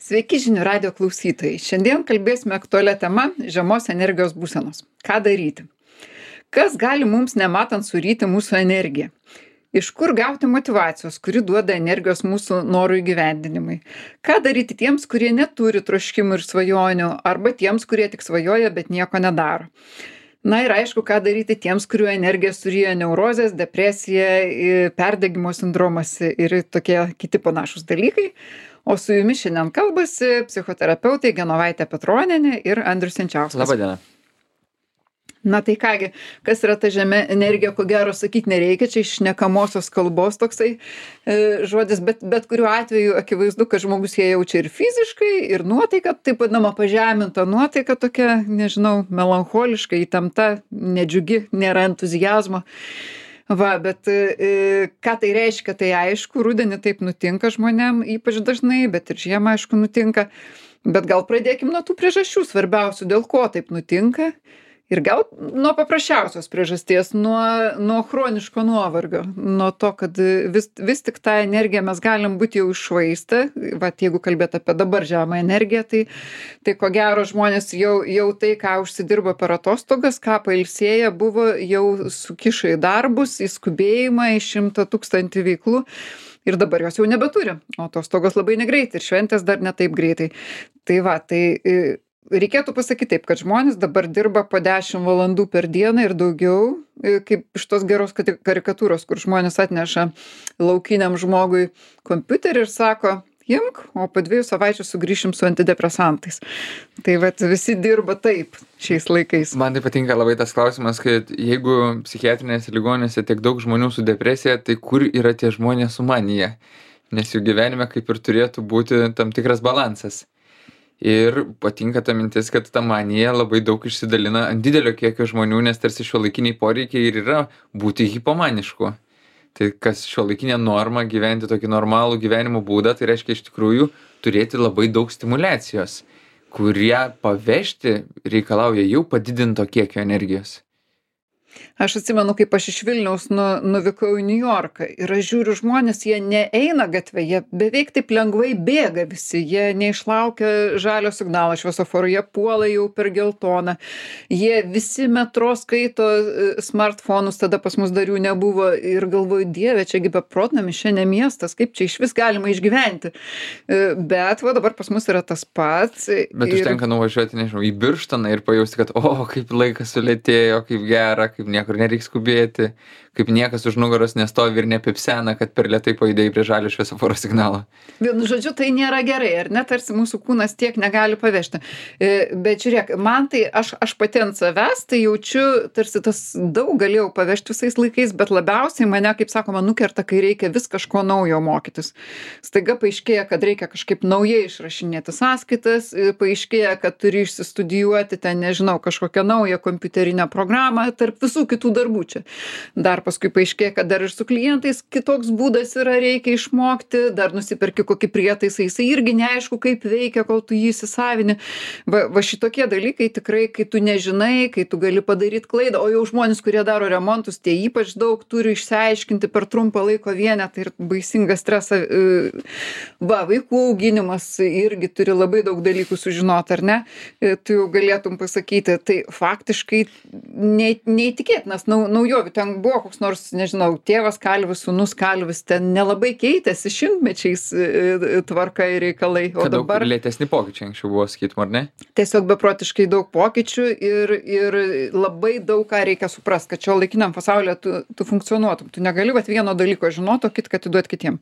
Sveiki žinių radio klausytojai. Šiandien kalbėsime aktualią temą žemos energijos būsenos. Ką daryti? Kas gali mums nematant suryti mūsų energiją? Iš kur gauti motyvacijos, kuri duoda energijos mūsų norų įgyvendinimui? Ką daryti tiems, kurie neturi troškimų ir svajonių, arba tiems, kurie tik svajoja, bet nieko nedaro? Na ir aišku, ką daryti tiems, kurių energiją suryja neurozės, depresija, perdegimo sindromas ir tokie kiti panašus dalykai. O su jumis šiandien kalbasi psichoterapeutai Genovaitė Petronienė ir Andrius Jančiauskas. Labadiena. Na tai kągi, kas yra ta žemė energija, ko gero sakyti nereikia, čia iš šnekamosios kalbos toksai žodis, bet kuriuo atveju akivaizdu, kad žmogus ją jaučia ir fiziškai, ir nuotaika, taip vadinama pažeminta nuotaika tokia, nežinau, melancholiška, įtempta, nedžiugi, nėra entuzijazmo. Va, bet ką tai reiškia, tai aišku, rudenį taip nutinka žmonėm, ypač dažnai, bet ir žiemą aišku nutinka. Bet gal pradėkim nuo tų priežasčių svarbiausių, dėl ko taip nutinka. Ir gal nuo paprasčiausios priežasties, nuo chroniško nuovargio, nuo to, kad vis tik tą energiją mes galim būti jau iššvaistę. Vat jeigu kalbėt apie dabar žemą energiją, tai ko gero žmonės jau tai, ką užsidirbo per atostogas, ką pailsėję buvo, jau sukišo į darbus, į skubėjimą, į 100 000 veiklų. Ir dabar jos jau nebeturi, o atostogos labai negreitai ir šventės dar ne taip greitai. Tai va, reikėtų pasakyti taip, kad žmonės dabar dirba po 10 valandų per dieną ir daugiau, kaip iš tos geros karikatūros, kur žmonės atneša laukiniam žmogui kompiuterį ir sako, imk, o po 2 savaičių sugrįšim su antidepresantais. Tai vat visi dirba taip šiais laikais. Man tai patinka labai tas klausimas, kad jeigu psichiatrinėse ligoninėse tiek daug žmonių su depresija, tai kur yra tie žmonės su manija? Nes jų gyvenime kaip ir turėtų būti tam tikras balansas. Ir patinka ta mintis, kad ta manija labai daug išsidalina ant didelio kiekio žmonių, nes tarsi šiuolaikiniai poreikiai ir yra būti hipomanišku. Tai kas šiuolaikinė norma gyventi tokį normalų gyvenimo būdą, tai reiškia iš tikrųjų turėti labai daug stimulacijos, kurie pavežti reikalauja jau padidinto kiekio energijos. Aš atsimenu, kaip aš iš Vilniaus nuvykau į Niujorką ir aš žiūriu žmonės, jie neeina gatvę, jie beveik taip lengvai bėga visi, jie neišlaukia žalio signalo šviesoforo, jie puola jau per geltoną, jie visi metro skaito smartfonus, tada pas mus dar jų nebuvo ir galvoju, Dieve, čiagi beprotnamis, šiandien miestas, kaip čia iš vis galima išgyventi. Bet va dabar pas mus yra tas pats. Bet užtenka nuvažiuoti, nežinau, į Birštoną ir pajausti, kad kaip laikas sulėtėjo, kaip gera, kaip niekur nereiks skubėti, kaip niekas už nugaros nestovi ir nepipsena, kad per lėtai pajudėjai prie žalio šviesoforo signalo. Vienu žodžiu, tai nėra gerai, ar ne, tarsi mūsų kūnas tiek negali pavežti. Bet žiūrėk, man tai, aš pati ant savęs, tai jaučiu, tarsi tas daug galėjau pavežti visais laikais, bet labiausiai mane, kaip sakoma, nukerta, kai reikia vis kažko naujo mokytis. Staiga paaiškėja, kad reikia kažkaip naujai išrašinėti sąskaitas, paaiškėja, kad turi išsistudijuoti ten, nežinau, kažkokią naują kompiuterinę programą tarp visų kitų darbų čia. Dar paskui paaiškėja, kad dar ir su klientais kitoks būdas yra, reikia išmokti, dar nusiperki kokį prietaisą, jisai irgi neaišku, kaip veikia, kol tu jį įsisavini. Va šitokie dalykai tikrai, kai tu nežinai, kai tu gali padaryti klaidą, o jau žmonės, kurie daro remontus, tie ypač daug turi išsiaiškinti per trumpą laiko vienetą ir baisingą stresą. Vaikų auginimas irgi turi labai daug dalykų sužinoti, ar ne? Tu jau galėtum pasakyti, tai faktiškai neįtikėtinas naujovių. Ten buvo koks nors, nežinau, tėvas kalvis, sūnus kalvis, ten nelabai keitėsi šimtmečiais tvarka ir reikalai. O Kad dabar daug lėtesni pokyčiai anksčiau buvo, sakytum, ar ne? tiesiog beprotiškai daug pokyčių ir labai daug ką reikia suprast, kad šio laikiniam pasaulyje tu funkcionuotum. Tu negali vieno dalyko žinoti, o kitką atiduoti kitiem.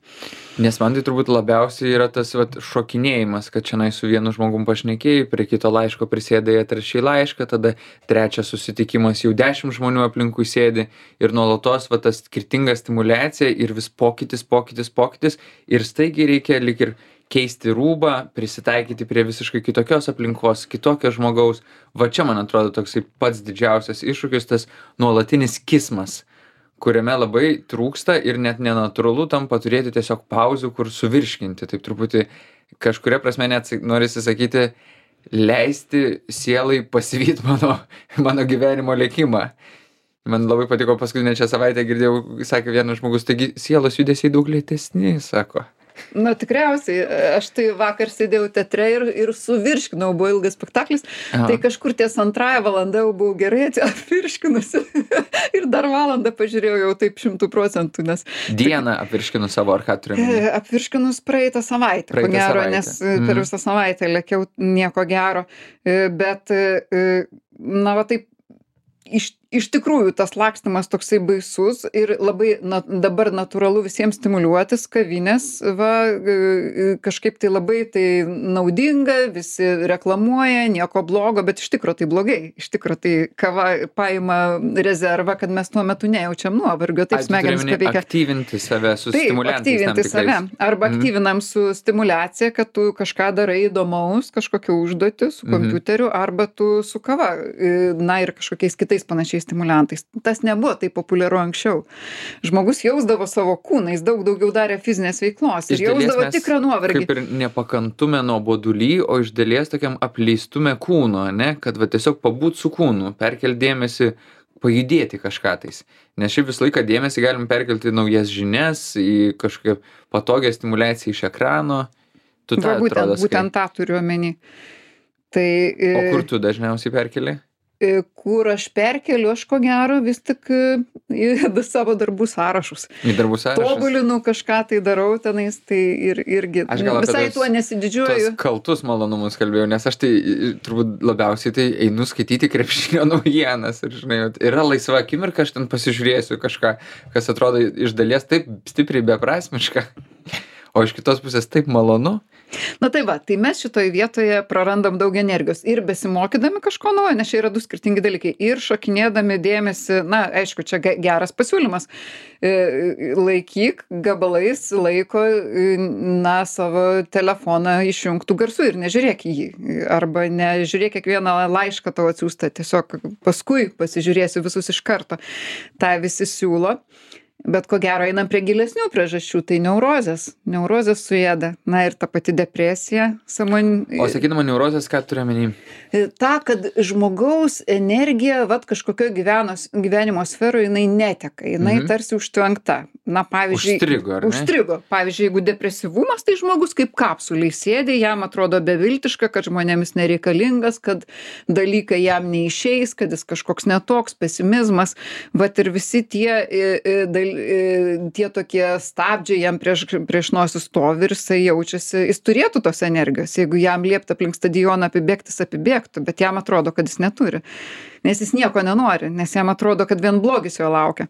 Nes man tai turbūt labiausiai yra tas šokinėjimas, kad šiandien su vienu žmogum pašnekėjai, prie kito laiško prisėdai atrašai laišką, tada trečias susitikimas jau 10 žmonių aplinkui sėdi ir nuolatos ta skirtinga stimulacija ir vis pokytis ir staigiai reikia lyg ir keisti rūbą, prisitaikyti prie visiškai kitokios aplinkos, kitokio žmogaus. Va čia, man atrodo, toksai pats didžiausias iššūkis, tas nuolatinis kismas, kuriame labai trūksta ir net nenatūralu tampa turėti tiesiog pauzių, kur suvirškinti. Taip truputį kažkuria prasme net norisi sakyti, leisti sielai pasivyti mano gyvenimo lėkimą. Man labai patiko paskutinę šią savaitę, girdėjau, sakė vienas žmogus, taigi sielos judesiai daug lėtesni, sako. Na, tikriausiai. Aš tai vakar sėdėjau teatre ir suvirškinau, buvo ilgas spektaklis, Aha. tai kažkur ties antrąją valandą jau buvau gerai apvirškinusi ir dar valandą pažiūrėjau jau taip 100%, nes Dieną apvirškinu savo, ar ką turiu? apvirškinus praeitą savaitę, ko Praeitą gero, savaitę. nes per visą savaitę lėkiau nieko gero. Bet, na, va taip, iš tikrųjų tas lakstymas toksai baisus ir labai dabar natūralu visiems stimuliuotis kavinės, kažkaip tai labai tai naudinga, visi reklamuoja, nieko blogo, bet iš tikro tai blogai. Iš tikro tai kava paima rezervą, kad mes tuo metu nejaučiam nuovargio, taip smegenys paveikia. Aktyvinti save su Taip, stimuliantais tam aktyvinti tikrais. save. Arba aktyvinam su stimulacija, kad tu kažką darai įdomaus, kažkokią užduotį su kompiuteriu, arba tu su kava, na ir kažkokiais kitais panašiais stimuliantais. Tas nebuvo taip populiaru anksčiau. Žmogus jausdavo savo kūną, jis daug daugiau darė fizinės veiklos ir Iš dalies jausdavo mes tikrą nuovargį. Kaip ir nepakantume nuoboduly, o iš dalies tokiam apleistume kūno, ne? Kad va tiesiog pabūt su kūnu, perkel dėmesį, pajudėti kažką tais. Nes šiaip visą laiką dėmesį galim perkelti į naujas žinias, į kažkokią patogią stimuliaciją iš ekrano. Tu tą atrodo Būtent tą turiu omeny. Tai, O kur tu dažniausiai perkeli? kur aš perkeliu, aš ko gero vis tik į savo darbų sąrašus. Į darbų sąrašus? Tobulinu kažką tai darau tenais, tai irgi Aš gal apie visai tuos- tuo nesididžiuoju. Tuos kaltus malonumus kalbėjau, nes aš tai turbūt labiausiai tai einu skaityti krepšinio naujienas ir, žinai, yra laisva akimirka, aš ten pasižiūrėsiu kažką, kas atrodo iš dalies taip stipriai beprasmiška, o iš kitos pusės taip malonu. Na tai va, tai mes šitoje vietoje prarandam daug energijos ir besimokydami kažko naujo, nes čia yra du skirtingi dalykai. Ir šokinėdami dėmesį, na, aišku, čia geras pasiūlymas. Laikyk gabalais laiko, na, savo telefoną išjungtų garsų ir nežiūrėk į jį. Arba nežiūrėk kiekvieną laišką tavo atsiųstą, tiesiog paskui pasižiūrėsiu visus iš karto. Ta visi siūlo. Bet ko gero einam prie gilesnių priežasčių, tai neurozės. Neurozės suėda. Na ir ta pati depresija. O sakydama neurozės, ką turiu omeny? Ta, kad žmogaus energija, kažkokio gyvenimo sferoje, jinai neteka, jinai tarsi užtvenkta. Na, pavyzdžiui, Užstrigo, ar ne? Užstrigo. Pavyzdžiui, jeigu depresyvumas, tai žmogus kaip kapsuliai sėdi, jam atrodo beviltiška, kad žmonėmis nereikalingas, kad dalykai jam neišeis, kad jis kažkoks netoks, pesimizmas. Vat ir visi tie tokie stabdžiai jam prieš nosį stovi ir jisai jaučiasi, jis turėtų tos energijos, jeigu jam liepta aplink stadioną apibėgti, jis apibėgtų, bet jam atrodo, kad jis neturi. Nes jis nieko nenori, nes jam atrodo, kad vien blogis jo laukia.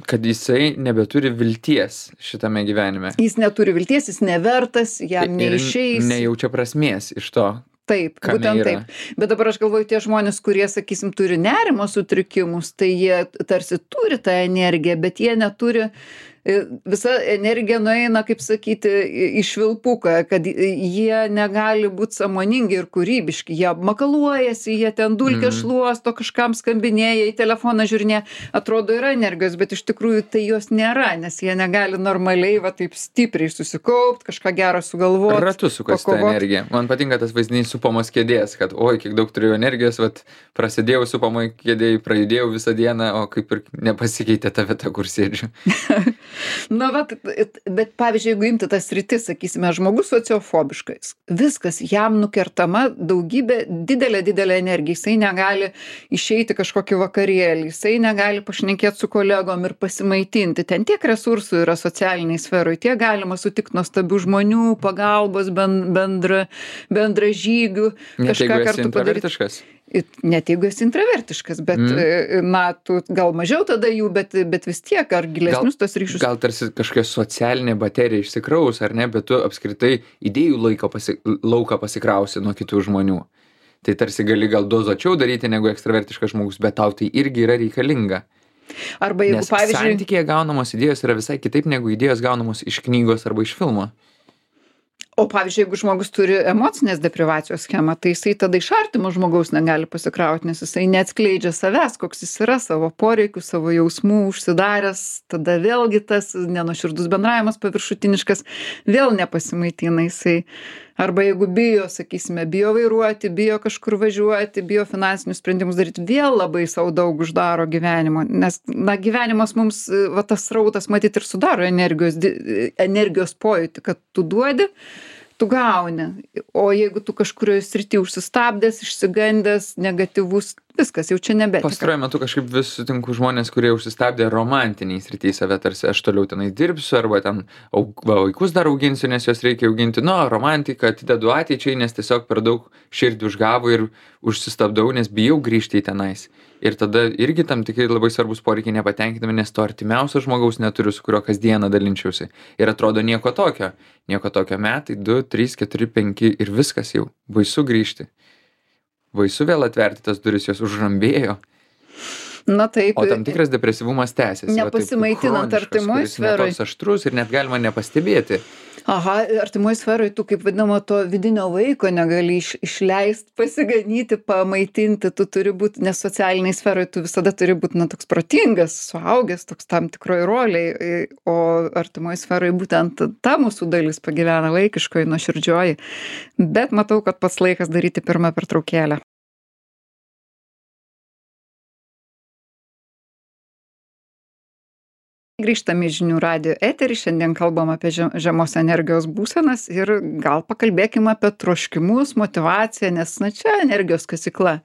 Kad jisai nebeturi vilties šitame gyvenime. Jis neturi vilties, jis nevertas, jam neišeis. Nejaučia prasmės iš to. Taip, būtent taip. Bet dabar aš galvoju, tie žmonės, kurie, sakysim, turi nerimo sutrikimus, tai jie tarsi turi tą energiją, bet jie neturi, visa energija nueina, kaip sakyti, į švilpuką, kad jie negali būti sąmoningi ir kūrybiški. Jie makaluojasi, jie ten dulkę šluosto, kažkam skambinėja, į telefoną žiūrinėja. Atrodo, yra energijos, bet iš tikrųjų tai jos nėra, nes jie negali normaliai, taip stipriai susikaupt, kažką gero sugalvoti. Ratu sukasi tą energiją. Man patinka tas vaizdinys supamos kėdės, kad oi, kiek daug turėjau energijos, prasidėjau supamoj kėdėjai, prajudėjau visą dieną, o kaip ir nepasikeitė ta vieta, kur sėdžiu. Na, bet pavyzdžiui, jeigu imti tas sritis, sakysime, žmogus sociofobiškas, viskas jam nukertama daugybė, didelė energija, jisai negali išeiti kažkokį vakarėlį, jisai negali pašnekėti su kolegom ir pasimaitinti. Ten tiek resursų yra socialiniai sferoj, tiek galima sutikti nuostabių žmonių, pagalbos, bendražygių, kažką kartu padaryti. Net jeigu esi intravertiškas, bet, na, tu gal mažiau tada jų, bet vis tiek, ar gilesnius tos ryšius. Gal tarsi kažkokia socialinė baterija išsikraus, ar ne, bet tu apskritai idėjų lauką pasikrausi nuo kitų žmonių. Tai tarsi gali gal dozuočiau daryti negu ekstravertiškas žmogus, bet tau tai irgi yra reikalinga. Arba jeigu, nes pavyzdžiui, santykėje gaunamos idėjos yra visai kitaip negu idėjos gaunamos iš knygos arba iš filmo. O pavyzdžiui, jeigu žmogus turi emocinės deprivacijos schemą, tai jisai tada iš artimo žmogaus negali pasikrauti, nes jisai neatskleidžia savęs, koks jis yra, savo poreikių, savo jausmų, užsidaręs, tada vėlgi tas nenuoširdus bendravimas paviršutiniškas, vėl nepasimaitina, jisai Arba jeigu bijo, sakysime, bijo vairuoti, bijo kažkur važiuoti, bijo finansinius sprendimus daryti, vėl labai sau daug uždaro gyvenimo. Nes, na, gyvenimas mums, va tas srautas matyt ir sudaro energijos pojūtį, kad tu duodi, tu gauni. O jeigu tu kažkurioje srity užsistabdęs, išsigandęs, negatyvus, viskas jau čia nebetika. Pastaruoju metu kažkaip vis sutinku žmonės, kurie užsistabdė romantiniai srity save, tarsi aš toliau tenai dirbsiu, arba ten vaikus dar auginsiu, nes juos reikia auginti. Nu, romantiką atidedu ateičiai, nes tiesiog per daug širdį užgavo ir užsistabdau, nes bijau grįžti į tenais. Ir tada irgi tam tikrai labai svarbus poreikiai nepatenkinami, nes to artimiausio žmogaus neturiu, su kurio kasdieną dalinčiausi. Ir atrodo nieko tokio. Nieko tokio metai, 2, 3, 4, 5 ir viskas jau. Baisu grįžti. Baisu vėl atverti tas duris, jos užrambėjo. Na taip. O tam tikras depresyvumas tęsiasi. Nepasimaitinant artimoj sferoj. Kuris netoks aštrus ir net galima nepastebėti. Aha, artimoj sferoj tu, kaip vadinamo, to vidinio vaiko negali išleist, pasiganyti, pamaitinti, tu turi būti, nes socialiniai sferoj tu visada turi būti, na, toks protingas, suaugęs, toks tam tikroj roliai, o artimoj sferoj būtent ta mūsų dalis pagyvena vaikiškoji, nuoširdžioji. Bet matau, kad pats laikas daryti pirmą pertraukėlę. Grįžtame į žinių radijo eterį, šiandien kalbam apie žemos energijos būsenas ir gal pakalbėkime apie troškimus, motyvaciją, nes, na, čia energijos kasykla.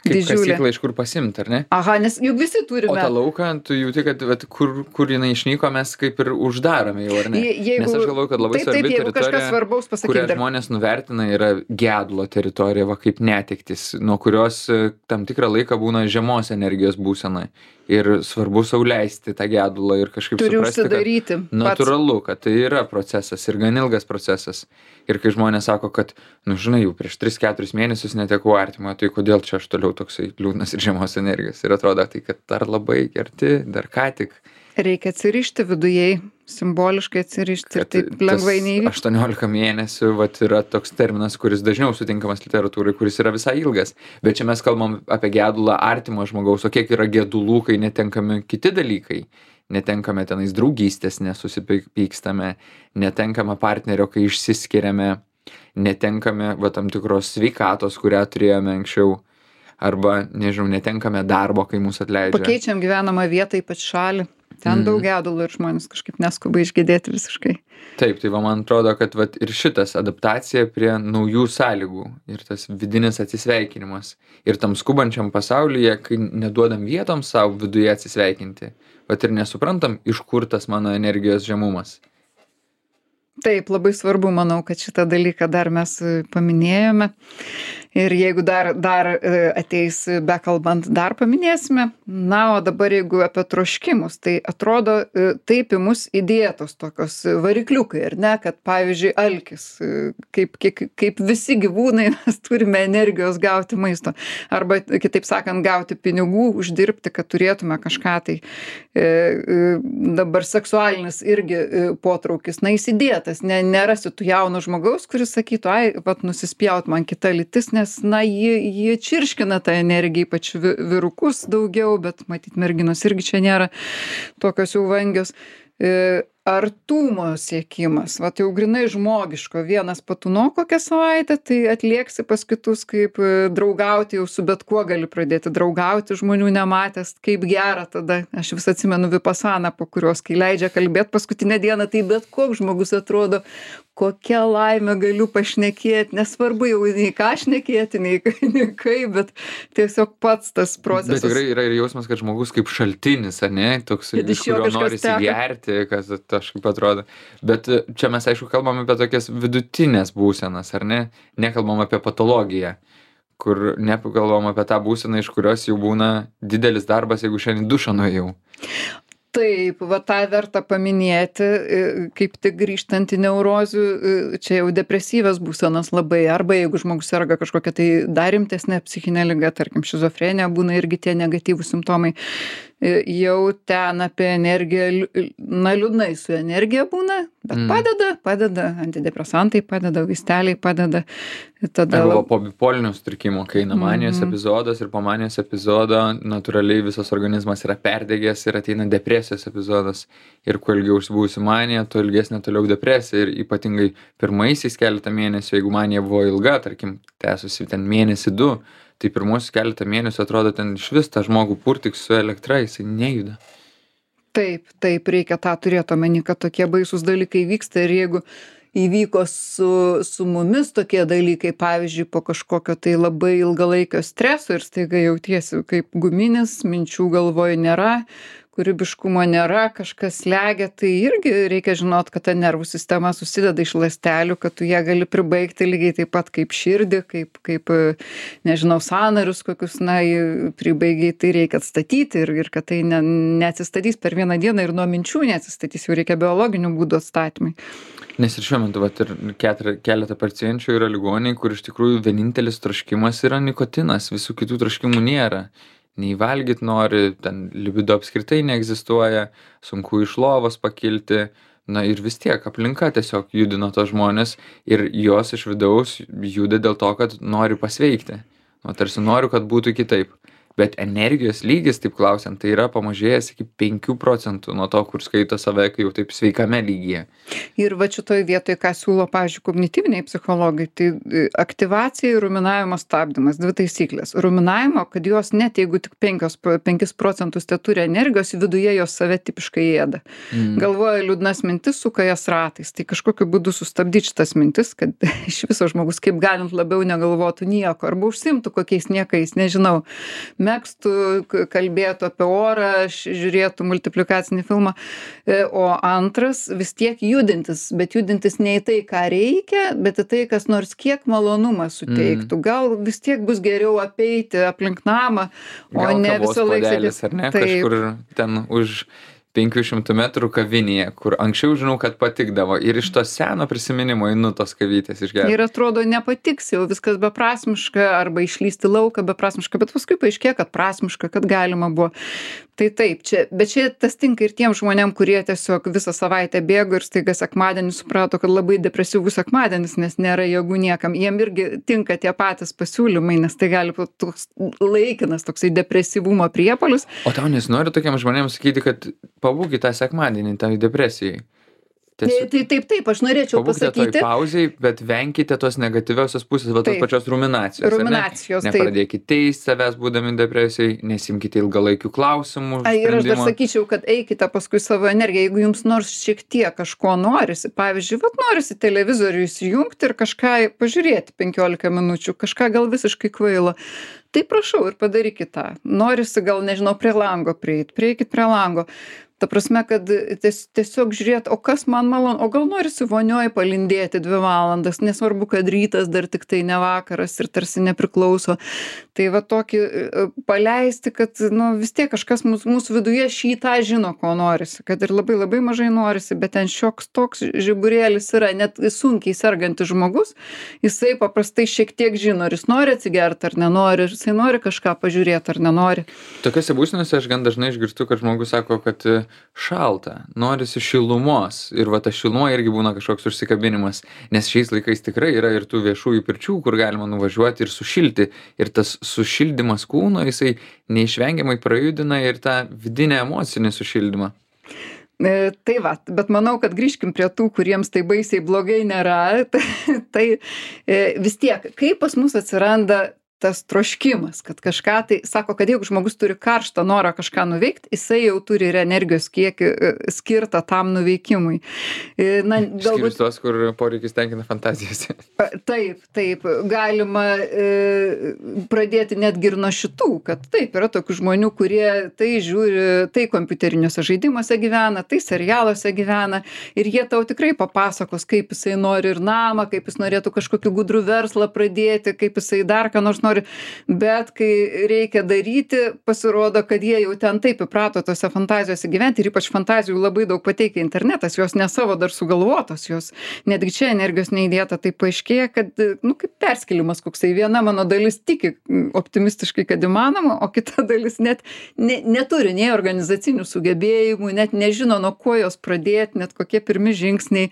Kaip Didžiulė. kasyklą iš kur pasimt, ar ne? Aha, nes juk visi turime. O tą lauką, tu jauti, kad vat, kur jinai išnyko, mes kaip ir uždarome jau, ar ne? Jeigu, Nes aš galvoju, kad labai svarbi jeigu kažkas svarbaus kurią pasakyti. žmonės nuvertina, yra gedulo teritorija, va kaip netektis, nuo kurios tam tikrą laiką būna žemos energijos būsena. Ir svarbu sau leisti tą gedulą ir kažkaip Turi suprasti, užsidaryti kad natūralu, kad tai yra procesas ir gan ilgas procesas. Ir kai žmonės sako, kad, nu žinai, jau prieš 3-4 mėnesius netekau artimo, tai kodėl čia aš toliau toksai liūdnas ir žemos energijos. Ir atrodo, tai kad dar labai arti, dar ką tik. Reikia atsirišti vidujei, simboliškai atsirišti ir taip lengvai neįvyks. 18 mėnesių vat, yra toks terminas, kuris dažniau sutinkamas literatūrai, kuris yra visai ilgas. Bet čia mes kalbam apie gedulą artimo žmogaus, o kiek yra gedulų, kai netenkami kiti dalykai. Netenkame tenais draugystės, nesusipykstame, netenkame partnerio, kai išsiskiriame, netenkame va, tam tikros sveikatos, kurią turėjome anksčiau. Arba, nežinau, netenkame darbo, kai mūsų atleidžia. Pakeičiam gyvenamą vietą, ypač šalį. Ten daug gedulų ir žmonės kažkaip neskuba išgedėti visiškai. Taip, tai va, man atrodo, kad vat, ir šitas adaptacija prie naujų sąlygų ir tas vidinis atsisveikinimas. Ir tam skubančiam pasaulyje, kai neduodam vietom savo viduje atsisveikinti, vat ir nesuprantam, iš kur tas mano energijos žemumas. Taip, labai svarbu, manau, kad šitą dalyką dar mes paminėjome. Ir jeigu dar ateis bekalbant, dar paminėsime. Na, o dabar jeigu apie troškimus, tai atrodo taip į mus įdėtos tokios varikliukai, ar ne, kad pavyzdžiui alkis, kaip visi gyvūnai mes turime energijos gauti maisto. Arba, kitaip sakant, gauti pinigų, uždirbti, kad turėtume kažką tai. Dabar seksualinis irgi potraukis, na, įsidėtas. Nerasi tų jaunų žmogaus, kuris sakytų, ai, vat nusispjaut man kita lytis, nes, na, jie čirškina tą energiją, ypač vyrukus daugiau, bet matyt, merginos irgi čia nėra tokios jau vangios. Artumo siekimas, vat jau grinai žmogiško, vienas patūno kokią savaitę, tai atlieksi pas kitus, kaip draugauti, jau su bet kuo gali pradėti draugauti, žmonių nematęs, kaip gera tada. Aš vis atsimenu vipasaną, po kurios, kai leidžia kalbėti paskutinę dieną, tai bet koks žmogus atrodo, kokia laimė galiu pašnekėti, nesvarbu jau nei ką šnekėti, nei kaip, bet tiesiog pats tas procesas. Bet tikrai yra ir jausmas, kad žmogus kaip šaltinis, ar ne, toks, iš kurio norisi gerti, kas kažkaip atrodo. Bet čia mes, aišku, kalbam apie tokias vidutinės būsenas, ar ne? Nekalbam apie patologiją, kur nekalbam apie tą būseną, iš kurios jau būna didelis darbas, jeigu šiandien dušą nuėjau. Taip, va tą verta paminėti, kaip tik grįžtant į neurozių, čia jau depresyvios būsenos labai, arba jeigu žmogus serga kažkokia tai dar rimtesnė psichinė liga, tarkim šizofrenija, būna irgi tie negatyvūs simptomai, jau ten apie energiją, na, liūdnai su energija būna, bet padeda, antidepresantai padeda, vaisteliai padeda, Tada Arba po bipolinio sutrikimo, kai eina manijos epizodas ir po manijos epizodo natūraliai visas organizmas yra perdegęs ir ateina depresijos epizodas. Ir kuo ilgiau užsibūsi manija, tuo ilgesnė toliau depresija. Ir ypatingai pirmaisiais keletą mėnesių, jeigu manija buvo ilga, tarkim, tęsusi ten mėnesį du, tai pirmuosius keletą mėnesių atrodo ten išvis tą žmogų purtyk su elektra, jisai nejuda. Taip, reikia tą turėti omeny, kad tokie baisūs dalykai vyksta ir jeigu įvyko su mumis tokie dalykai, pavyzdžiui, po kažkokio tai labai ilgalaikio streso ir staiga jautiesi kaip guminis, minčių galvoj nėra, kūrybiškumo nėra, kažkas slegia, tai irgi reikia žinot, kad ta nervų sistema susideda iš ląstelių, kad tu ją gali pribaigti lygiai taip pat kaip širdį, kaip nežinau, sąnarius kokius, pribaigiai, tai reikia atstatyti ir kad tai neatsistatys per vieną dieną ir nuo minčių neatsistatys, jau reikia biologinių būdų atstatymai. Nes ir šiuo metu vat, ir keletą pacienčių yra ligoniai, kur iš tikrųjų vienintelis troškimas yra nikotinas, visų kitų troškimų nėra. Nei valgyt nori, ten libido apskritai neegzistuoja, sunku iš lovos pakilti, ir vis tiek aplinka tiesiog judino tos žmonės ir jos iš vidaus juda dėl to, kad nori pasveikti. Tarsi noriu, kad būtų kitaip. Bet energijos lygis, taip klausiant, tai yra pamažėjęs iki 5% nuo to, kur skaito save, kai jau taip sveikame lygyje. Ir va šitoj vietoje, ką siūlo, pavyzdžiui, kognityviniai psichologai, tai aktyvacija ir ruminavimo stabdymas, 2 taisyklės. Ruminavimo, kad jos net jeigu tik 5% te turi energijos, viduje jos save tipiškai ėda. Galvoja liūdnas mintis, suka jas ratais. Tai kažkokiu būdu sustabdyti šitas mintis, kad iš viso žmogus kaip galint labiau negalvotų nieko, arba užsimtų kokiais niekais, nežinau, megztų, kalbėtų apie orą, žiūrėtų multiplikacinį filmą. O antras, vis tiek judintis, bet judintis ne į tai, ką reikia, bet į tai, kas nors kiek malonumą suteiktų. Gal vis tiek bus geriau apeiti aplink namą, o ne visą laiką sėdėti. Ar ne, kažkur ten už 500 metrų kavinėje, kur anksčiau žinau, kad patikdavo. Ir iš to seno prisiminimo einu tos kavytės išgerti. Ir atrodo nepatiks, jau viskas beprasmiška, arba išlysti lauką beprasmiška, bet paskui paaiškėja, kad prasmiška, kad galima buvo. Tai taip, bet čia tas tinka ir tiem žmonėm, kurie tiesiog visą savaitę bėgo ir staiga sekmadienį suprato, kad labai depresyvus sekmadienis, nes nėra jėgų niekam. Jiem irgi tinka tie patys pasiūlymai, nes tai gali būti toks laikinas toksai depresyvumo priepuolis. O tau nesinori tokiam žmonėms sakyti, kad pabūkit tą sekmadienį, tai depresijai. Taip, aš norėčiau pasakyti. Pabūkite toj pauziai, bet venkite tos negatyviosios pusės, tos pačios ruminacijos. Ruminacijos, taip. Nepradėkite teisti savęs būdami depresijai, nesimkite ilgalaikių klausimų. Ir aš dar sakyčiau, kad eikite paskui savo energiją, jeigu jums nors šiek tiek kažko norisi. Pavyzdžiui, norisi televizorių įsijungti ir kažką pažiūrėti 15 minučių, kažką gal visiškai kvailo. Tai prašau ir padarykit tą. Norisi gal, nežinau, prie lango prieikit prie lango. Ta prasme, kad tiesiog žiūrėt, o kas man malonu, o gal norisi vonioj palindėti 2 valandas, nesvarbu, kad rytas dar tik tai ne vakaras ir tarsi nepriklauso. Tai va tokį paleisti, kad vis tiek kažkas mūsų viduje šitą žino, ko norisi, kad ir labai labai mažai norisi, bet ten šioks toks žiburėlis yra, net sunkiai sergantis žmogus, jisai paprastai šiek tiek žino, ar jis nori atsigerti ar nenori, ar jisai nori kažką pažiūrėti ar nenori. Tokiose būsenose aš gan dažnai išgirstu, kad žmogus sako, kad šalta, norisi šilumos ir va ta šiluma irgi būna kažkoks užsikabinimas, nes šiais laikais tikrai yra ir tų viešųjų pirčių, kur galima nuvažiuoti ir sušilti ir tas sušildymas kūno, jisai neišvengiamai prajudina ir tą vidinę emocinį sušildymą. Tai va, bet manau, kad grįžkim prie tų, kuriems tai baisiai blogai nėra, tai vis tiek, kaip pas mus atsiranda tas troškimas, kad kažką tai, sako, kad jeigu žmogus turi karštą norą kažką nuveikti, jisai jau turi ir energijos kiekį skirtą tam nuveikimui. Išskyrus tos, kur poreikis tenkina fantazijose. Taip, galima pradėti netgi ir nuo šitų, kad taip, yra tokių žmonių, kurie tai žiūri, tai kompiuteriniuose žaidimuose gyvena, tai serialuose gyvena ir jie tau tikrai papasakos, kaip jisai nori ir namą, kaip jis norėtų kažkokį gudrų verslą pradėti, kaip jisai dar ką nors nori nori, bet kai reikia daryti, pasirodo, kad jie jau ten taip įprato tose fantazijose gyventi ir ypač fantazijų labai daug pateikia internetas, jos ne savo dar sugalvotos, jos netgi čia energijos neįdėta, tai paaiškėja, kad, nu, kaip perskėlimas koksai, viena mano dalis tiki optimistiškai, kad įmanoma, o kita dalis net neturi nei organizacinių sugebėjimų, net nežino, nuo ko jos pradėti, net kokie pirmi žingsniai.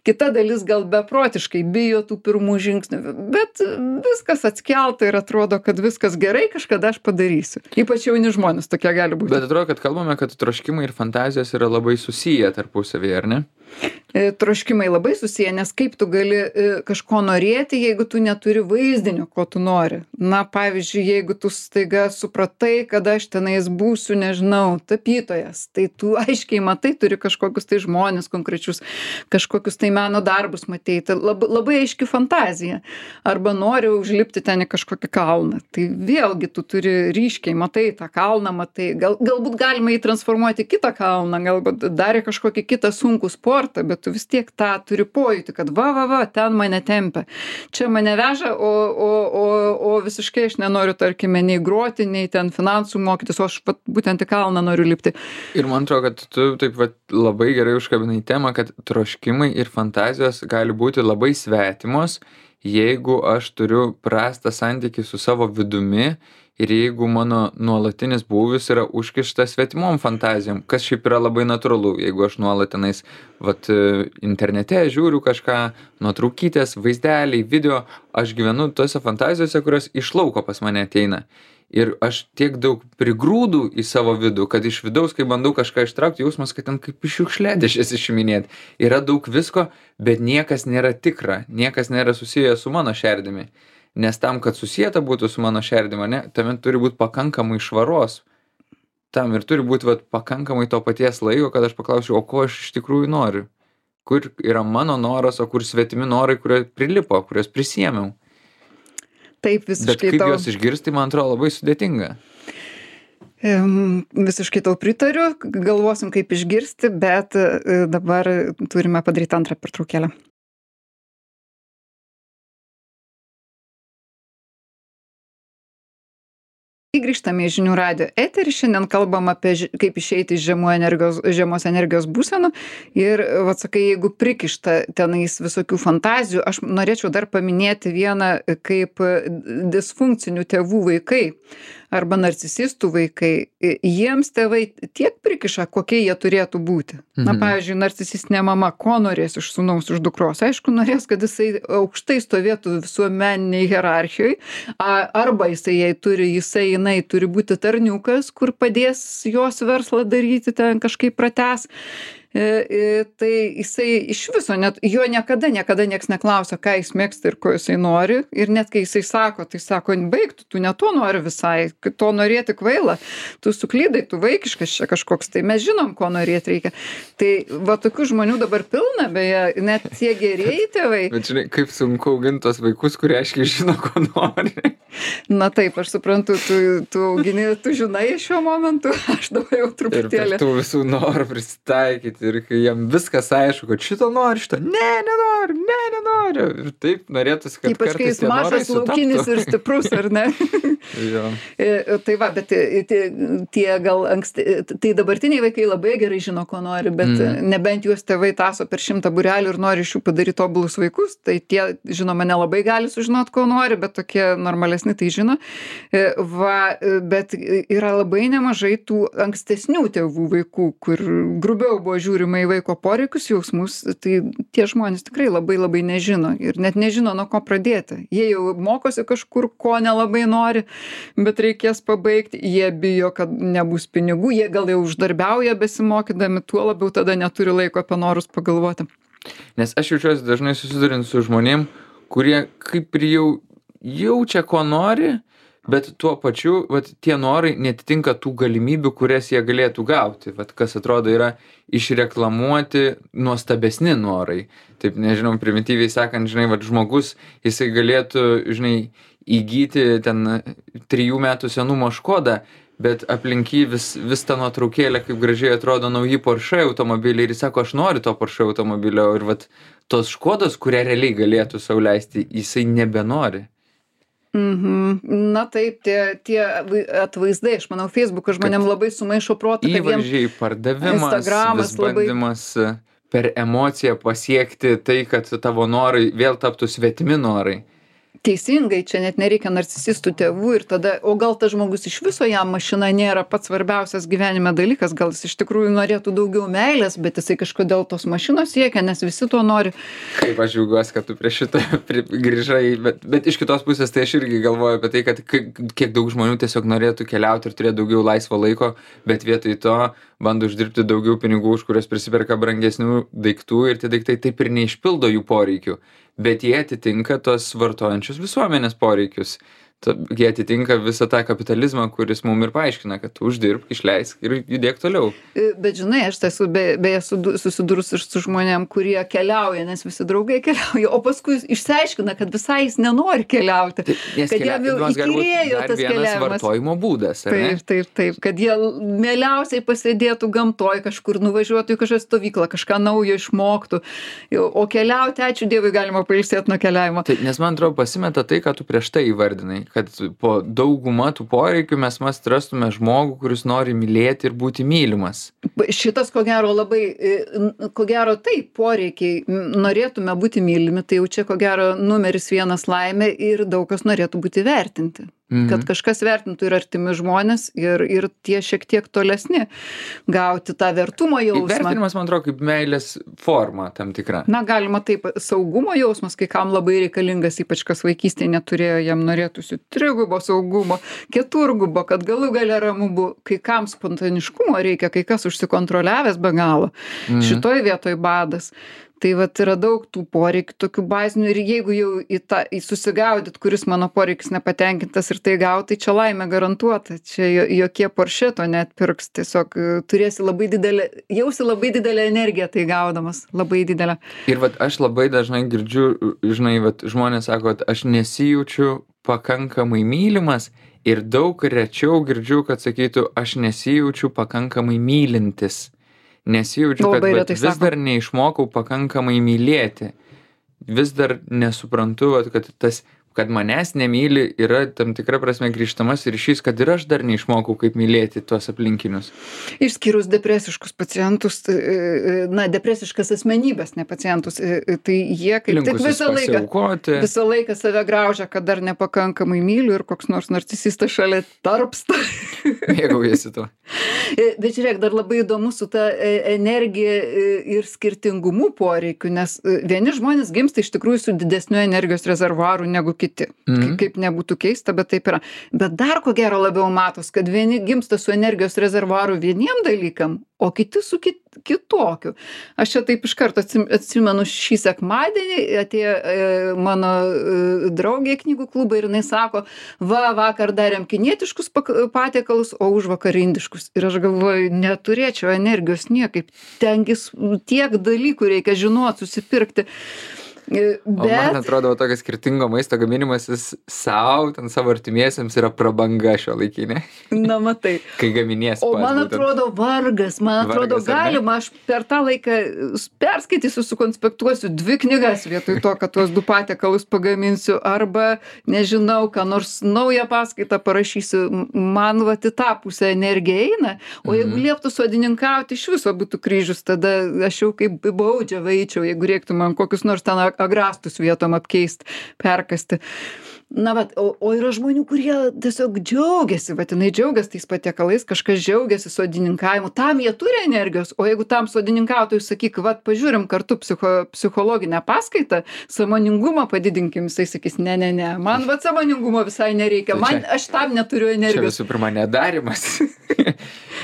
Kita dalis gal beprotiškai bijo tų pirmų žingsnių, bet viskas atskelta ir atrodo, kad viskas gerai, kažkada aš padarysiu. Ypač jauni žmonės tokie gali būti. Bet atrodo, kad kalbame, kad troškimai ir fantazijos yra labai susiję tarpusavyje, ar ne? Troškimai labai susiję, nes kaip tu gali kažko norėti, jeigu tu neturi vaizdinio, ko tu nori. Na, pavyzdžiui, jeigu tu staiga supratai, kad aš tenais būsiu, nežinau, tapytojas, tai tu aiškiai matai, turi kažkokius tai žmonės konkrečius, kažkokius tai meno darbus matei, tai labai aiški fantazija. Arba nori užlipti ten į kažkokį kalną. Tai vėlgi tu turi ryškiai, matai tą kalną, matai, galbūt galima jį transformuoti į kitą kalną, galbūt darė kažkokį kitą sunkų sportą, bet tu vis tiek tą turi pojūtį, kad va, ten mane tempia. Čia mane veža, o visiškai aš nenoriu, tarkime, nei groti, nei ten finansų mokytis, o aš būtent į kalną noriu lipti. Ir man atrodo, kad tu taip labai gerai užkabinai temą, kad troškimai ir fantazijos gali būti labai svetimos, jeigu aš turiu prastą santykį su savo vidumi ir jeigu mano nuolatinis būvis yra užkištas svetimom fantazijom, kas šiaip yra labai natūralu, jeigu aš nuolat tenais internete žiūriu kažką, nuotraukytės, vaizdeliai, video, aš gyvenu tose fantazijose, kurios iš lauko pas mane ateina. Ir aš tiek daug prigrūdu į savo vidų, kad iš vidaus, kai bandau kažką ištraukti, jausmas, kad ten kaip iš šiukšliadėžės išiminėti. Yra daug visko, bet niekas nėra tikra, niekas nėra susijęs su mano šerdimi. Nes tam, kad susieta būtų su mano šerdimi, ne, tame turi būti pakankamai švaros. Tam ir turi būti pakankamai to paties laiko, kad aš paklausiu, o ko aš iš tikrųjų noriu. Kur yra mano noras, o kur svetimi norai, kurie prilipo, kurios prisėmiau. Taip, visiškai. Bet kaip juos išgirsti, man atrodo, labai sudėtinga. Visiškai tau pritariu, galvosim kaip išgirsti, bet dabar turime padaryti antrą pertraukėlę. Grįžtame į žinių radijo eterį, šiandien kalbam apie kaip išeiti iš žemos energijos būsenų ir, sakai, jeigu prikišta tenais visokių fantazijų, aš norėčiau dar paminėti vieną kaip disfunkcinių tėvų vaikai arba narcisistų vaikai, jiems tėvai tiek prikiša, kokie jie turėtų būti. Na, pavyzdžiui, narcisistinė mama, ko norės iš sūnaus, iš dukros? Aišku, norės, kad jisai aukštai stovėtų visuomeniniai hierarchijai, arba jinai turi būti tarniukas, kur padės jos verslą daryti, ten kažkaip pratęs. Tai jisai iš viso, net jo niekada nieks neklausia, ką jis mėgsta ir ko jisai nori. Ir net kai jisai sako, tai sako, baigtų, tu ne to nori visai, to norėti kvaila, tu suklydai, tu vaikiškas čia kažkoks, tai mes žinom, ko norėti reikia. Tai tokių žmonių dabar pilna, beje, net tie gerieji tėvai. Bet žinai, kaip sunku auginti tos vaikus, kurie aiškiai žino, ko nori. Na taip, aš suprantu, tu augini, tu žinai šiuo momentu, aš dabar jau truputėlį. Ir tų visų norų prisitaikyti. Ir kai jam viskas aišku, kad šito nori, šito nenoriu. Ir taip norėtųsi, kad ypač kai jis mažas, laukinis ir stiprus, ar ne? Jo. Tai va, bet tie gal tai dabartiniai vaikai labai gerai žino, ko nori, bet nebent juos tėvai taso per 100 būrelių ir nori iš jų padaryti tobulus vaikus, tai tie, žinoma, nelabai gali sužinot, ko nori, bet tokie normalesni tai žino. Bet yra labai nemažai tų ankstesnių tėvų vaikų, kur grubiau buvo žiūrima į vaiko poreikius, jausmus, tai tie žmonės tikrai labai nežino ir net nežino, nuo ko pradėti. Jie jau mokosi kažkur, ko nelabai nori, bet reikės pabaigti, jie bijo, kad nebus pinigų, jie gal jau uždarbiauja besimokydami, tuo labiau tada neturi laiko apie norus pagalvoti. Nes aš jaučiuosi dažnai susidurint su žmonėm, kurie kaip ir jau jaučia, ko nori, bet tuo pačiu tie norai netitinka tų galimybių, kurias jie galėtų gauti. Kas atrodo yra išreklamuoti nuostabesni norai. Taip, nežinau, primityviai sakant, žmogus, jisai galėtų, įgyti ten 3 metų senumo Škodą, bet aplink jį vis ta nuotraukėlė, kaip gražiai atrodo nauji Porsche automobiliai ir jis sako, aš noriu to Porsche automobilio ir tos Škodos, kurią realiai galėtų sau leisti, jisai nebenori. Na taip, tie atvaizdai, aš manau, Facebookas žmonėm labai sumaišo protą, kad jiem Įvaizdžiai, pardavimas, Instagramas vis labai bandymas per emociją pasiekti tai, kad tavo norai vėl taptų svetimi norai. teisingai, čia net nereikia narcisistų tėvų ir tada, o gal tas žmogus iš viso jam mašina nėra pats svarbiausias gyvenime dalykas, gal jis iš tikrųjų norėtų daugiau meilės, bet jisai kažkodėl tos mašinos siekia, nes visi to nori. Kaip aš džiaugiuosi, kad tu prie šito grįžai, bet iš kitos pusės tai aš irgi galvoju apie tai, kad kiek daug žmonių tiesiog norėtų keliauti ir turėti daugiau laisvo laiko, bet vietoj to bando uždirbti daugiau pinigų, už kurios prisiperka brangesnių daiktų ir tie daiktai taip ir neišpildo jų poreikių, bet jie atitinka tos vartojančios visuomenės poreikius. Jie atitinka visą tą kapitalizmą, kuris mum ir paaiškina, kad tu uždirbk, išleisk ir judėk toliau. Bet žinai, aš esu beje susidūrus ir su žmonėm, kurie keliauja, nes visi draugai keliauja, o paskui išsiaiškina, kad visai jis nenori keliauti. Nes kad jam jau įkyrėjo tas keliavimas. Vartojimo būdas, ar ne? Taip, kad jie mieliausiai pasėdėtų gamtoj, kažkur nuvažiuotų į kažkokią stovyklą, kažką naujo išmoktų. O keliauti, ačiū Dievui, galima pailsėti nuo keliavimo. Tai, nes man atrodo pasimeta tai, ką tu prieš tai įvardinai, kad po daugumą tų poreikių mes rastume žmogų, kuris nori mylėti ir būti mylimas. Šitas, ko gero, taip, poreikiai, norėtume būti mylimi, tai jau čia, ko gero, numeris vienas laimė ir daug kas norėtų būti vertinti. Kad kažkas vertintų ir artimi žmonės, ir tie šiek tiek tolesni, gauti tą vertumo jausmą. Vertinimas, man atrodo, kaip meilės forma tam tikra. Na, galima taip, saugumo jausmas, kai kam labai reikalingas, ypač kas vaikystėje neturėjo, jam norėtųsi trigubo saugumo, keturgubo, kad galų gale ramu buvo, kai kam spontaniškumo reikia, kai kas užsikontroliavęs be galo. Šitoj vietoj badas. Tai vat yra daug tų poreikių, tokių bazinių ir jeigu jau į susigaudyt, kuris mano poreikis nepatenkintas ir tai gauti, tai čia laimė garantuota. Čia jokie Porsche to neatpirks, tiesiog jausi labai didelę energiją tai gaudamas, labai didelę. Ir vat aš labai dažnai girdžiu, žinai, vat žmonės sako, kad aš nesijaučiu pakankamai mylimas ir daug rečiau girdžiu, kad sakytų, aš nesijaučiu pakankamai mylintis. Nesijaučiu, kad vis dar neišmokau pakankamai mylėti. Vis dar nesuprantu, kad manęs nemyli yra tam tikra prasme grįžtamas ryšys, kad ir aš dar neišmokau, kaip mylėti tuos aplinkinius. Išskyrus depresiškus pacientus, depresiškas asmenybės, ne pacientus, tai jie kaip tik visą laiką save graužia, kad dar nepakankamai myliu ir koks nors narcisistas šalia tarpsta. Mėgaujasi tuo. Bet žiūrėk, dar labai įdomu su ta energija ir skirtingumu poreikiu, nes vieni žmonės gimsta iš tikrųjų su didesniu energijos rezervuaru negu kiti. Kaip nebūtų keista, bet taip yra. Bet dar ko gero labiau matos, kad vieni gimsta su energijos rezervuaru vieniem dalykam, o kiti su kitokiu. Aš čia taip iš karto atsimenu šį sekmadienį, atėjo mano draugė į knygų klubą ir jinai sako, vakar darėm kinietiškus patiekalus, o užvakar indiškus. Ir aš galvoju, neturėčiau energijos niekaip. Tengis tiek dalykų reikia žinot, susipirkti. O man atrodo, tokias skirtingo maisto gaminimasis savo artimiesiems yra prabanga šiuolaikinė. Na, matai. Kai gaminies pats. O man atrodo vargas, galima, aš per tą laiką perskaitysiu, sukonspektuosiu 2 knygas vietoj to, kad tuos 2 patiekalus pagaminsiu, arba, nežinau, ką nors naują paskaitą parašysiu. Man į tą pusę energija eina, o jeigu lieptų sodininkauti, iš viso būtų kryžius, tada aš jau kaip baudžia veičiau, jeigu reiktų man kokius nors ten agrastus vietom apkeist, perkasti. Na, o yra žmonių, kurie tiesiog džiaugiasi, jinai džiaugiasi tais patiekalais, kažkas džiaugiasi sodininkavimu, tam jie turi energijos, o jeigu tam sodininkautojui sakyk, pažiūrim kartu psichologinę paskaitą, sąmoningumą padidinkim, jisai sakys, ne, man sąmoningumo visai nereikia, aš tam neturiu energijos. Čia visų pirma nedarimas.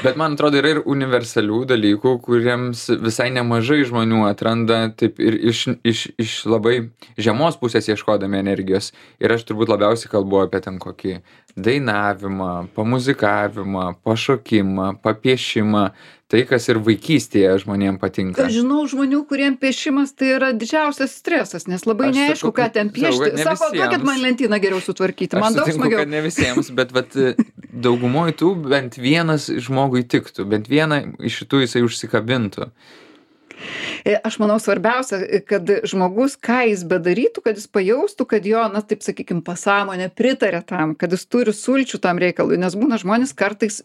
Bet man atrodo, yra ir universalių dalykų, kuriems visai nemažai žmonių atranda taip ir iš labai žemos pusės ieškodami energijos. Ir aš turbūt labiausiai kalbu apie ten kokį dainavimą, pamuzikavimą, pašokimą, papiešimą. Tai, kas ir vaikystėje žmonėm patinka. Aš žinau žmonių, kuriem piešimas tai yra didžiausias stresas, nes labai neaišku, ką ten piešti. Sako, duokit man lentyną geriau sutvarkyti. Man daug smagiau. Kad ne visiems, bet daugumoj tų bent vienas žmogui tiktų, bent vieną iš šitų jisai užsikabintų. Aš manau svarbiausia, kad žmogus, ką jis bedarytų, kad jis pajaustų, kad jo, na taip sakykim, pasąmonė pritarė tam, kad jis turi sulčių tam reikalui, nes būna žmonės kartais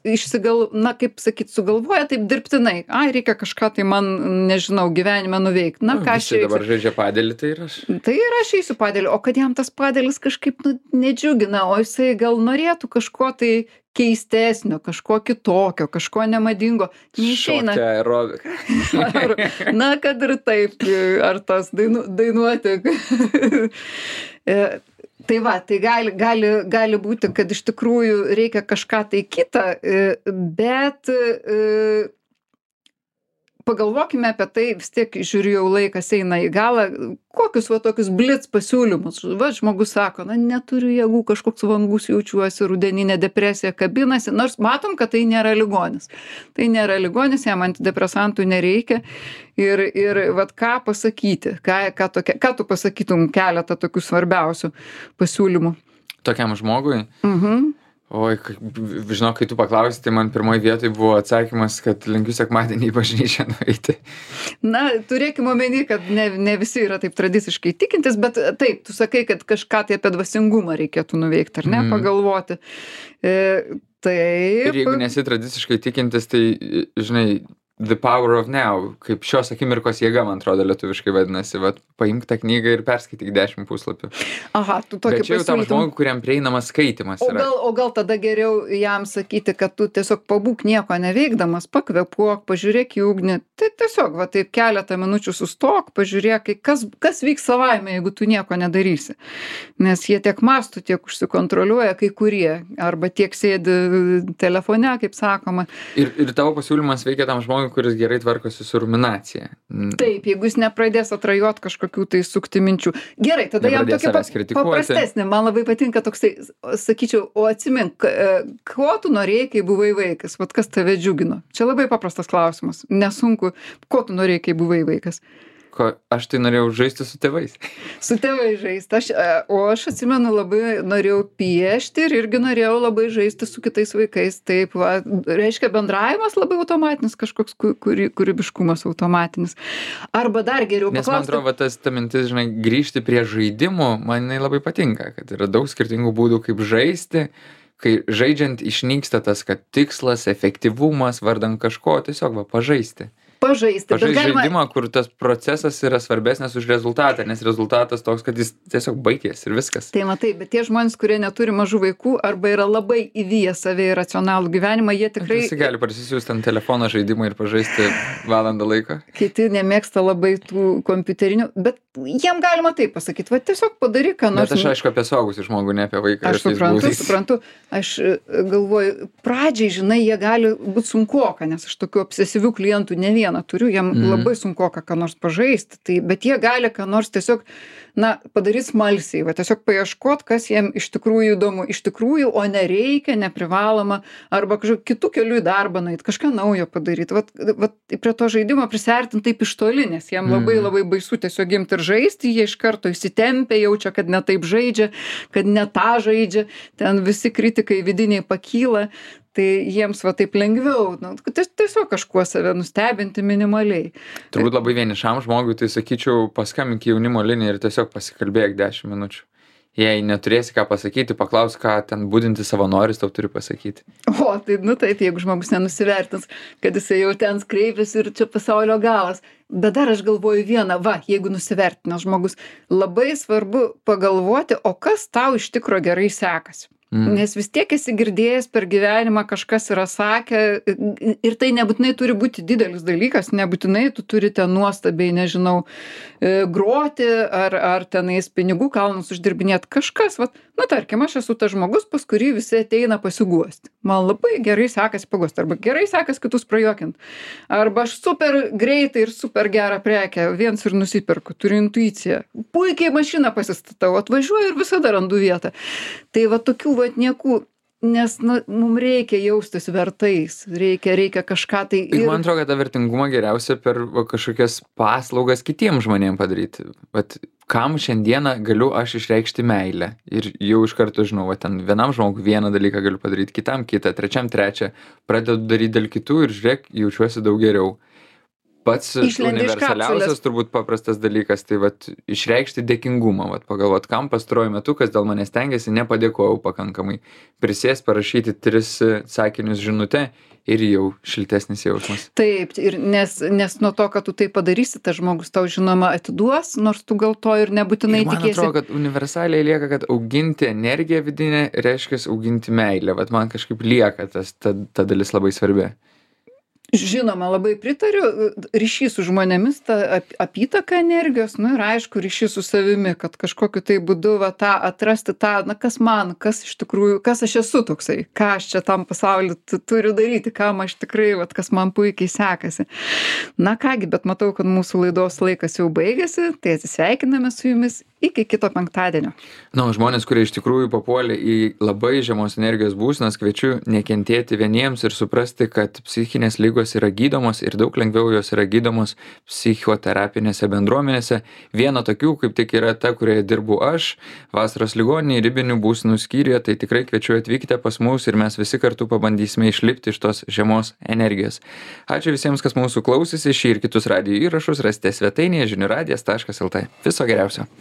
na kaip sakyt, sugalvoja taip dirbtinai. Ai, reikia kažką tai man, nežinau, gyvenime nuveikti. Na ką aš Visi dabar žaidžia padelį, tai ir aš. Tai ir aš eisiu padėlį, o kad jam tas padėlis kažkaip nedžiugina, o jisai gal norėtų kažko tai keistesnio, kažko kitokio, kažko nemadingo, neišeina. Šokti aerobiką. Na, kad ir taip, ar tas dainuoti. Tai va, tai gali būti, kad iš tikrųjų reikia kažką tai kitą, bet pagalvokime apie tai, vis tiek žiūriu jau laikas eina į galą, kokius va tokius blitz pasiūlymus. Va, žmogus sako, na neturiu jėgų, kažkoks vangus jaučiuosi, rudeninė depresija kabinasi, nors matom, kad tai nėra ligonis. Tai nėra ligonis, jam antidepresantų nereikia. Ir vat ką pasakyti, ką tu pasakytum keletą tokių svarbiausių pasiūlymų? Tokiam žmogui? Oi, žinau, kai tu paklausai, tai man pirmoji vietoj buvo atsakymas, kad linkiu sekmadienį į bažnyčią nueiti. Na, turėkime omeny, kad ne visi yra taip tradiciškai tikintis, bet taip, tu sakai, kad kažką tai apie dvasingumą reikėtų nuveikti, ar ne, pagalvoti. Taip. Ir jeigu nesi tradiciškai tikintis, tai, žinai, The Power of Now, kaip šios akimirkos jėga, man atrodo, lietuviškai vadinasi. Vat, paimk tą knygą ir perskaityk 10 puslapių. Aha, tu tokį Bet čia jau tam žmogui, kuriam prieinamas skaitimas yra. O gal tada geriau jam sakyti, kad tu tiesiog pabūk nieko neveikdamas, pakvėpuok, pažiūrėk į ugnį. Tai tiesiog, va taip keletą minučių sustok, pažiūrėk, kas vyks savaime, jeigu tu nieko nedarysi. Nes jie tiek mąstų, tiek užsikontroliuoja kai kurie, arba tiek sėdi telefone, kaip sakoma. Ir tavo pasiūlymas veikia tam žmogui, kuris gerai tvarkosi su ruminacija. Taip, jeigu jis nepradės atrajot kažkokių tai sukti minčių. Gerai, tada jam tokia paprastesnė. Man labai patinka toksai, sakyčiau, o atsimink, ko tu norėjai, kai buvai vaikas? Vat kas tave džiugino? Čia labai paprastas klausimas. Nesunku, ko tu norėjai, kai buvai vaikas? Aš tai norėjau žaisti su tėvais. Su tėvais žaisti. O aš atsimenu, labai norėjau piešti ir irgi norėjau labai žaisti su kitais vaikais. Taip, va, reiškia bendravimas labai automatinis, kažkoks kūrybiškumas automatinis. Arba dar geriau paklausti. Nes man atrodo, ta mintis, žinai, grįžti prie žaidimų, man jinai labai patinka, kad yra daug skirtingų būdų, kaip žaisti, kai žaidžiant išnyksta tas, kad tikslas, efektyvumas, vardan kažko, tiesiog va, pažaisti. Pažaisti žaidimą, kur tas procesas yra svarbesnis už rezultatą, nes rezultatas toks, kad jis tiesiog baigės ir viskas. Tai matai, bet tie žmonės, kurie neturi mažų vaikų arba yra labai įvyję save į racionalų gyvenimą, jie tikrai... Visi gali parsisiųsti ant telefono žaidimą ir pažaisti valandą laiko. Kiti nemėgsta labai tų kompiuterinių, bet jiem galima taip pasakyti, va tiesiog padaryk, ką nors. Bet aš aišku apie suaugusių žmogų, ne apie vaiką. Aš suprantu. Aš galvoju, pradžiai, žinai, jie gali būti sunkoka, nes aš tokių obsesyvių klientų ne vieną turiu, jiem labai sunkoka ką nors pažaisti, bet jie gali ką nors tiesiog, na, padaryti smalsiai, va tiesiog paieškot, kas jiem iš tikrųjų įdomu, iš tikrųjų, o nereikia, neprivaloma, arba kažkokiu kitų kelių į darbą nueit, kažką naujo padaryti. Vat prie to žaidimo prisiartinti taip iš toli, nes jiem labai labai baisu tiesiog imti ir žaisti, jie iš karto įsitempia, jaučia, kad ne taip žaidžia, kad ne tą žaidžia, ten visi kritikai vidiniai pakyla. Tai jiems va taip lengviau, tiesiog kažkuo save nustebinti minimaliai. Turbūt labai vienišam žmogui, tai sakyčiau, paskambink į jaunimo liniją ir tiesiog pasikalbėk 10 minučių. Jei neturėsi ką pasakyti, paklaus, ką ten budinti savanoris tau turi pasakyti. O, tai taip, jeigu žmogus nenusivertins, kad jisai jau ten kreipiasi ir čia pasaulio galas. Bet dar aš galvoju vieną, jeigu nusivertinęs žmogus, labai svarbu pagalvoti, o kas tau iš tikro gerai sekasi. Nes vis tiek esi girdėjęs per gyvenimą, kažkas yra sakę ir tai nebūtinai turi būti didelis dalykas, nebūtinai tu turi ten nuostabiai, nežinau, groti ar tenais pinigų kalnus uždirbinėti. Kažkas, tarkim, aš esu tas žmogus, pas kurį visi ateina pasiguosti. Man labai gerai sekasi paguosti, arba gerai sekasi kitus prajuokinti. Arba aš super greitai ir super gerą prekę viens ir nusipirku, turiu intuiciją. Puikiai mašiną pasistatau, atvažiuoju ir visada randu vietą. Tai tokių niekų, nes mums reikia jaustis vertais, reikia kažką tai... Ir man atrodo, kad tą vertingumą geriausia per kažkokias paslaugas kitiems žmonėms padaryti. Kam šiandieną galiu aš išreikšti meilę? Ir jau iš karto žinau, ten vienam žmogui vieną dalyką galiu padaryti, kitam kitą, trečiam trečią. Pradedu daryti dėl kitų ir žiūrėk, jaučiuosi daug geriau. pats Išlendi iš universaliausias kapsulės. turbūt paprastas dalykas, tai vat išreikšti dėkingumą, vat pagalvot, kam pastaruoju metu, kas dėl manęs stengiasi, nepadėkojau pakankamai. Prisės parašyti 3 sakinius žinutę ir jau šiltesnis jausmas. Taip, ir nes nuo to, kad tu tai padarysi, tas žmogus tau žinoma atiduos, nors tu gal to ir nebūtinai Ir man tikėsi. atrodo, kad universaliai lieka, kad auginti energiją vidinę reiškia auginti meilę. Vat man kažkaip lieka ta dalis labai svarbi. Žinoma, labai pritariu, ryšys su žmonėmis, ta apytaka energijos, nu ir aišku, ryšys su savimi, kad kažkokiu tai būdu va tą atrasti tą, na kas man, kas iš tikrųjų, kas aš esu toksai, ką aš čia tam pasauliu turiu daryti, kam aš tikrai, va kas man puikiai sekasi. Na kągi, bet matau, kad mūsų laidos laikas jau baigėsi, tai atsisveikiname su jumis iki kito penktadienio. Na, žmonės, kurie iš tikrųjų papuolė į labai žemos energijos būsenas, kviečiu nekentėti vieniems ir suprasti, kad psichinės lygos yra gydomos ir daug lengviau jos yra gydomos psichoterapinėse bendruomenėse. Viena tokių, kaip tik yra ta, kurioje dirbu aš, vasaros ligoninėje ribinių būsenų skyriuje, tai tikrai kviečiu atvykite pas mus ir mes visi kartu pabandysime išlipti iš tos žemos energijos. Ačiū visiems, kas mūsų klausėsi, šį ir kitus radijo įrašus rasite svetainėje žiniųradijas.lt. Viso geriausio.